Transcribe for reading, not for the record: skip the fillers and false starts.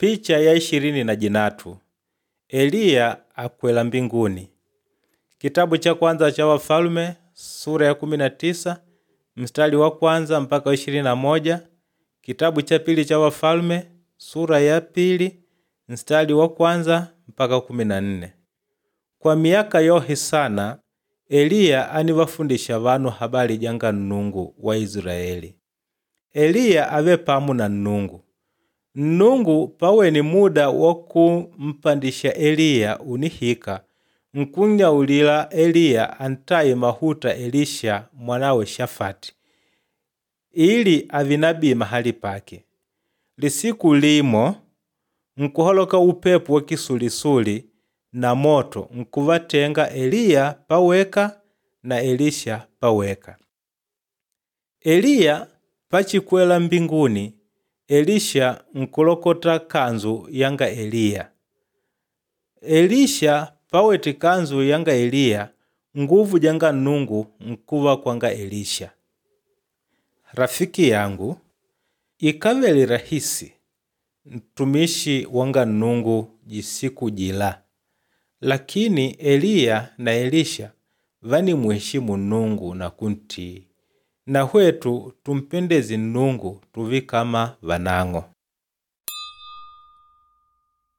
Picha ya 23 Eliya akwela mbinguni. Kitabu cha kwanza cha Wafalume sura ya 19 mstari wa kwanza mpaka 21. Kitabu cha pili cha Wafalume sura ya pili mstari wa kwanza mpaka 14. Kwa miyaka yohe sana Eliya anivafundisha vanu habali janga Nnungu wa Isilaeli. Eliya ave pamu na Nnungu. Nnungu pawene muda wa kumpandisha Eliya unihika nkunnyaulila Eliya antaye mahuta Elisha mwanawe Shafati ili avi nabii mahali pake. Lisiku limo nkuholoka upepo wa kisulisuli na moto nkuvatenga Eliya paweka na Elisha paweka. Eliya pachikwela mbinguni, Elisha nkulokota kanzu yanga Eliya. Elisha pawete kanzu yanga Eliya, nguvu janga Nnungu nkuva kwanga Elisha. Rafiki yangu, ikavele rahisi ntumishi wanga Nnungu jisiku jila, lakini Eliya na Elisha vanimuheshimu Nnungu na kuntii. Na hwetu tumpendeze Nnungu tuve kama vanang'o.